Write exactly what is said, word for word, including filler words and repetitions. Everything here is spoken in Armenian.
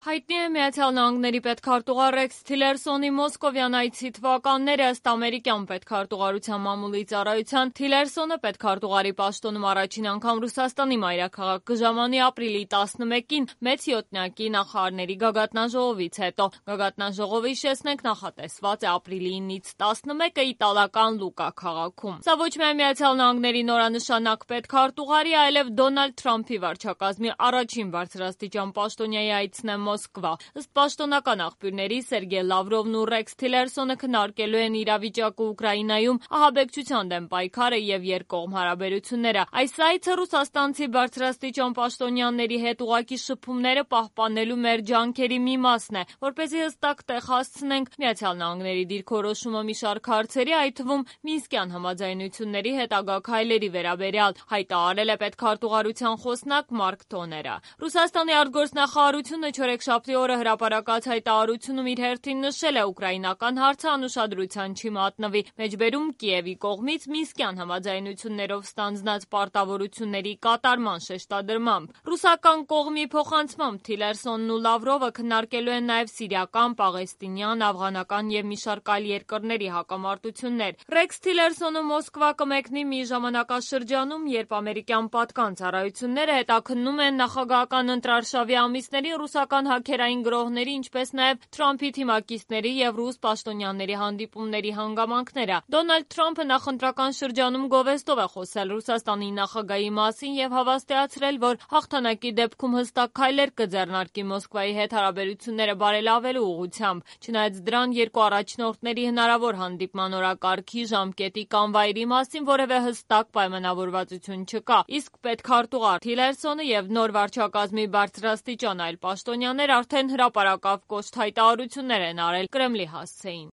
Հայտնի է Միացյալ Նահանգների պետքարտուղար Ռեքս Թիլերսոնի մոսկովյան այցի թվականները ըստ ամերիկյան պետքարտուղարության մամուլի ծառայության Թիլերսոնը պետքարտուղարի պաշտոնում առաջին անգամ Ռուսաստանի մայրաքաղաք կժամանի ապրիլի տասնմեկին մեծ յոթնյակի նախարարների գագաթնաժողովից հետո։ Գագաթնաժողովը, հիշեցնենք, նախատեսված է ապրիլի ինից տասնմեկը իտալական Լուկա քաղաքում։ Սա ոչ միայն Միացյալ Նահանգների նորանշանակ պետքարտուղարի, այլև Դոնալդ Թրամփի վարչակազմի առաջին բարձրաստիճան պաշտոնյայի այցն է Մոսկվա։ Ըստ պաշտոնական աղբյուրների Սերգեյ Լավրովն ու Ռեքս Թիլերսոնը քննարկելու են իրավիճակը Ուկրաինայում, ահաբեկչության դեմ պայքարը եւ երկկողմ հարաբերությունները։ Այս այցը ռուսաստանցի բարձրաստիճան պաշտոնյաների հետ ուղղակի շփումները պահպանելու մեր ջանքերի մի մասն է, որպեսզի հստակ տեղ հասցնենք Միացյալ Նահանգների դիրքորոշումը մի շարք հարցերի, այդ թվում Մինսկյան համաձայնությունների հետագա քայլերի վերաբերյալ, հայտարարել է պետքարտուղարության խոսնակ Մարկ Թոները։ Ռուսաստանի արտգործնախարարությունը չորեքշաբթի օրը հրապարակած հայտարարությունում իր հերթին նշել է ուկրաինական հարցը անուշադրության չի մատնվի, մեջբերում Կիևի կողմից Մինսկյան համաձայնություններով ստանձնած պարտավորությունների կատարման շեշտադրմամբ։ Ռուսական կողմի փոխանցմամբ Թիլերսոնն ու Լավրովը քննարկելու են նաև սիրիական, պաղեստինյան, աֆղանական եւ մի շարք այլ երկրների հակամարտություններ։ Ռեքս Թիլերսոնը Մոսկվա կմեկնի մի ժամանակաշրջանում, երբ ամերիկյան պատկան ծառայությունները հետաքննում են նախագահական ընտրարշավի ամիսներին ռուսական հաքերային գրոհների, ինչպես նաև Թրամփի թիմակիցների եւ ռուս պաշտոնյաների հանդիպումների հանգամանքները։ Դոնալդ Թրամփը նախընտրական շրջանում գովեստով է խոսել Ռուսաստանի նախագահի մասին եւ հավաստիացրել, որ հաղթանակի դեպքում հստակ քայլեր կձեռնարկի Մոսկվայի հետ հարաբերությունները բարելավելու ուղղությամբ։ Չնայած դրան, երկու առաջնորդների հնարավոր հանդիպման օրակարգի, ժամկետի կամ վայրի մասին որևէ հստակ պայմանավորվածություն չկա։ Իսկ պետքարտուղար Թիլերսոնը եւ նոր վարչակազմի բարձրաստիճան այլ պաշտոնյաներ արդեն հրապարակավ կոշտ հայտարարություններ են արել Կրեմլի հասցեին։